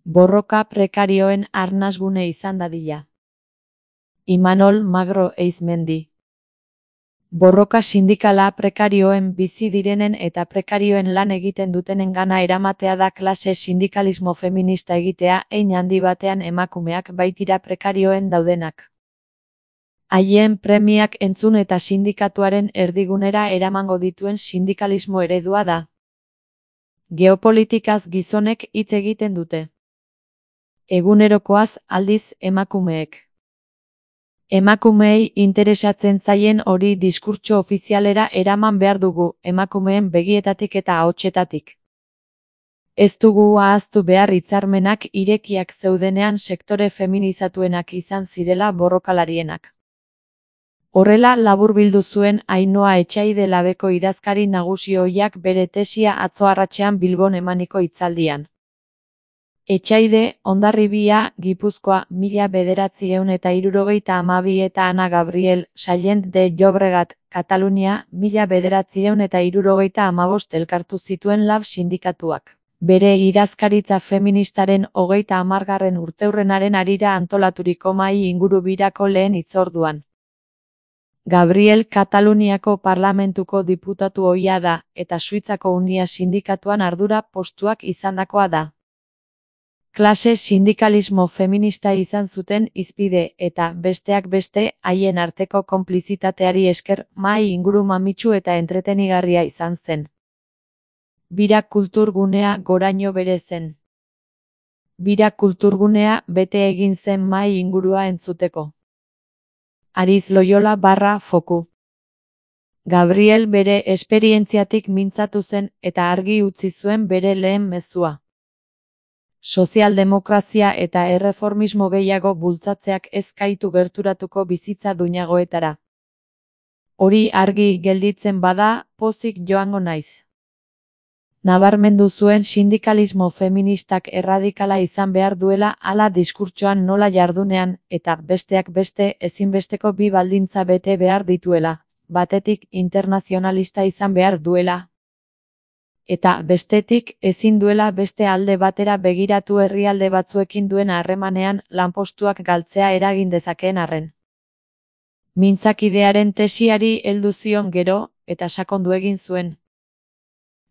Borroka prekarioen arnasgune izan dadila. Imanol Magro Eizmendi. Borroka sindikala prekarioen bizi direnen eta prekarioen lan egiten dutenen gana eramatea da klase sindikalismo feminista egitea, hein handi batean emakumeak baitira prekarioen daudenak. Haien premiak entzun eta sindikatuaren erdigunera eramango dituen sindikalismo eredua da. Geopolitikaz gizonek hitz egiten dute. Egunerokoaz aldiz emakumeek. Emakumeei interesatzen zaien hori diskurtso ofizialera eraman behar dugu, emakumeen begietatik eta ahotsetatik. Ez dugu ahaztu behar hitzarmenak irekiak zeudenean sektore feminizatuenak izan zirela borrokalarienak. Horrela laburbildu zuen Ainhoa Etxaide Labeko idazkari nagusi ohiak bere tesia atzo arratsean Bilbon emaniko hitzaldian. Etxaide, Hondarribia, Gipuzkoa, 1972 eta Ana Gabriel, Sallent de Llobregat, Katalunia, 1975 elkartu zituen lab sindikatuak. Bere idazkaritza feministaren 30. urteurrenaren harira antolaturiko mahai ingurubirako lehen hitzorduan. Gabriel Kataluniako parlamentuko diputatu ohia da, eta Suitzako Unia sindikatuan ardura postuak izandakoa da. Klase sindikalismo feminista izan zuten hizpide eta, besteak beste, haien arteko konplizitateari esker, mahai inguru mamitsu eta entretenigarria izan zen. Bira kulturgunea goraino bere zen. Bira kulturgunea bete egin zen mahai ingurua entzuteko. Ariz Loyola /Foku. Gabriel bere esperientziatik mintzatu zen eta argi utzi zuen bere lehen mezua. Sozialdemokrazia eta erreformismo gehiago bultzatzeak ez gaitu gerturatuko bizitza duinagoetara. Hori argi gelditzen bada, pozik joango naiz. Nabarmendu zuen sindikalismo feministak erradikala izan behar duela hala diskurtsoan nola jardunean, eta besteak beste ezinbesteko bi baldintza bete behar dituela, batetik internazionalista izan behar duela. Eta bestetik ezin duela beste alde batera begiratu herrialde batzuekin duen harremanean lanpostuak galtzea eragin dezakeen arren. Mintzakidearen tesiari heldu zion gero, eta sakondu egin zuen.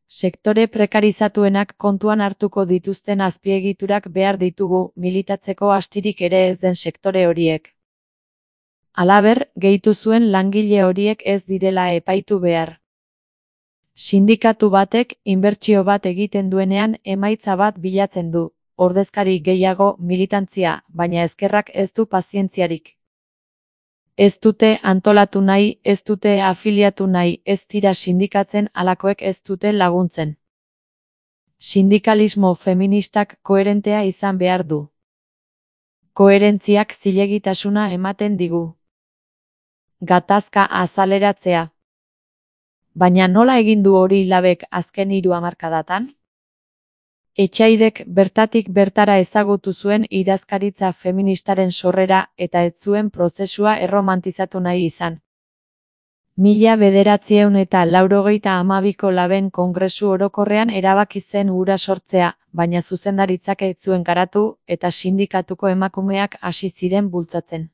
Sektore prekarizatuenak kontuan hartuko dituzten azpiegiturak behar ditugu, militatzeko astirik ere ez den sektore horiek. Halaber, gehitu zuen langile horiek ez direla epaitu behar. Sindikatu batek inbertsio bat egiten duenean emaitza bat bilatzen du, ordezkari gehiago, militantzia, baina ezkerrak ez du pazientziarik. Ez dute antolatu nahi, ez dute afiliatu nahi, ez dira sindikatzen halakoek ez dute laguntzen. Sindikalismo feministak koherentea izan behar du. Koherentziak zilegitasuna ematen digu. Gatazka azaleratzea. Baina nola egin du hori labek azken 3 hamarkadatan? Etxaidek bertatik bertara ezagutu zuen idazkaritza feministaren sorrera eta ez zuen prozesua erromantizatu nahi izan. 1982ko laben kongresu orokorrean erabaki zen hura sortzea, baina zuzendaritzak ez zuen garatu eta sindikatuko emakumeak hasi ziren bultzatzen.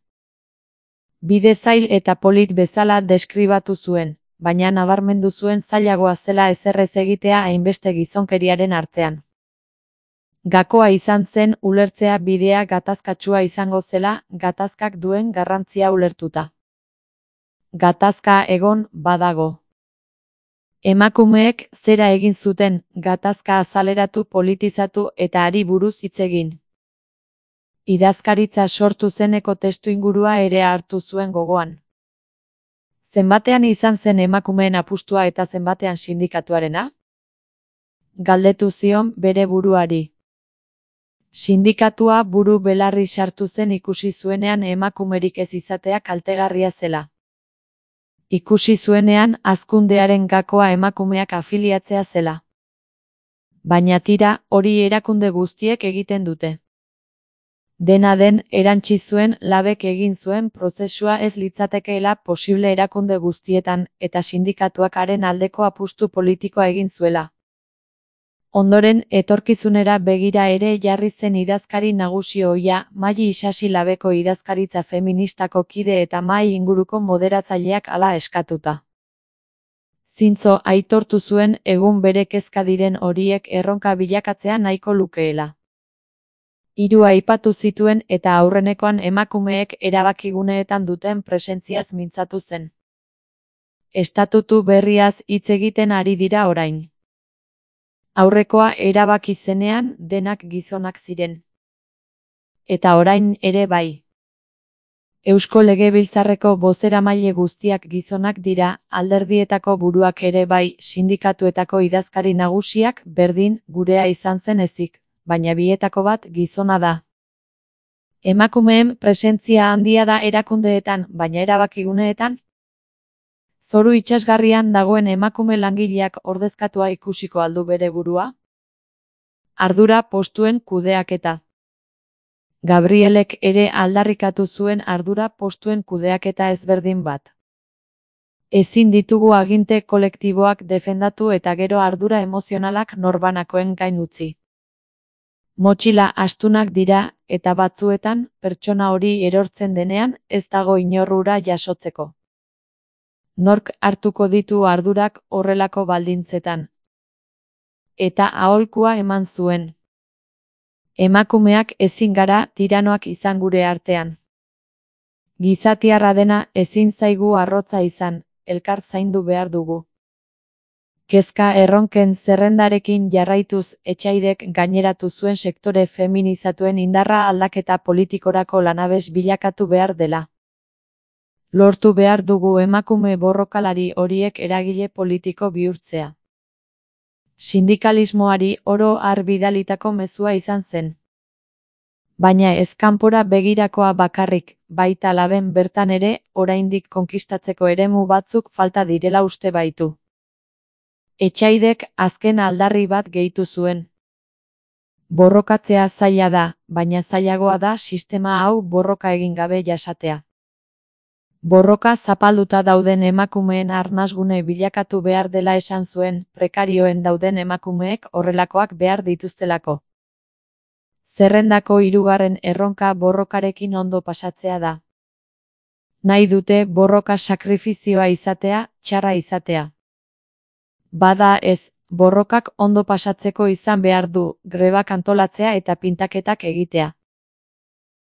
Bide zail eta polit bezala deskribatu zuen, baina nabarmendu zuen zailagoa zela ezerrez egitea hainbeste gizonkeriaren artean. Gakoa izan zen ulertzea bidea gatazkatsua izango zela, gatazkak duen garrantzia ulertuta. Gatazka egon badago. Emakumeek zera egin zuten, gatazka azaleratu, politizatu eta hari buruz hitz egin. Idazkaritza sortu zeneko testuingurua ere hartu zuen gogoan. Zenbatean izan zen emakumeen apustua eta zenbatean sindikatuarena? Galdetu zion bere buruari. Sindikatua buru belarri sartu zen ikusi zuenean emakumerik ez izatea kaltegarria zela. Ikusi zuenean hazkundearen gakoa emakumeak afiliatzea zela. Baina tira, hori erakunde guztiek egiten dute. Dena den, erantsi zuen labek egin zuen prozesua ez litzatekeela posible erakunde guztietan, eta sindikatuak haren aldeko apustu politikoa egin zuela. Ondoren, etorkizunera begira ere jarri zen idazkari nagusi ohia, Maili Isasi Labeko idazkaritza feministako kide eta mahai inguruko moderatzaileak hala eskatuta. Zintzo aitortu zuen egun bere kezka diren horiek erronka bilakatzea nahiko lukeela. Hiru aipatu zituen eta aurrenekoan emakumeek erabakiguneetan duten presentziaz mintzatu zen. Estatutu berriaz hitz egiten ari dira orain. Aurrekoa erabaki zenean denak gizonak ziren. Eta orain ere bai. Eusko Legebiltzarreko bozeramaile guztiak gizonak dira, alderdietako buruak ere bai, sindikatuetako idazkari nagusiak berdin, gurea izan zen ezik, baina bietako bat gizona da. Emakumeen presentzia handia da erakundeetan, baina erabakiguneetan? Zoru itsasgarrian dagoen emakume langileak ordezkatua ikusiko aldu bere burua? Ardura postuen kudeaketa. Gabrielek ere aldarrikatu zuen ardura postuen kudeaketa ezberdin bat. Ezin ditugu aginte kolektiboak defendatu eta gero ardura emozionalak norbanakoen gain utzi. Motxila astunak dira, eta batzuetan, pertsona hori erortzen denean, ez dago inor hura jasotzeko. Nork hartuko ditu ardurak horrelako baldintzetan. Eta aholkua eman zuen. Emakumeak ezin gara tiranoak izan gure artean. Gizatiarra dena ezin zaigu arrotza izan, elkar zaindu behar dugu. Kezka erronken zerrendarekin jarraituz Etxaidek gaineratu zuen sektore feminizatuen indarra aldaketa politikorako lanabes bilakatu behar dela. Lortu behar dugu emakume borrokalari horiek eragile politiko bihurtzea. Sindikalismoari oro har bidalitako mezua izan zen. Baina ez kanpora begirakoa bakarrik, baita laben bertan ere, oraindik konkistatzeko eremu batzuk falta direla uste baitu. Etxaidek azken aldarri bat gehitu zuen. Borrokatzea zaila da, baina zailagoa da sistema hau borroka egin gabe jasatea. Borroka zapalduta dauden emakumeen arnasgune bilakatu behar dela esan zuen, prekarioen dauden emakumeek horrelakoak behar dituztelako. Zerrendako hirugarren erronka borrokarekin ondo pasatzea da. Nahi dute borroka sakrifizioa izatea, txarra izatea. Bada ez, borrokak ondo pasatzeko izan behar du, grebak antolatzea eta pintaketak egitea.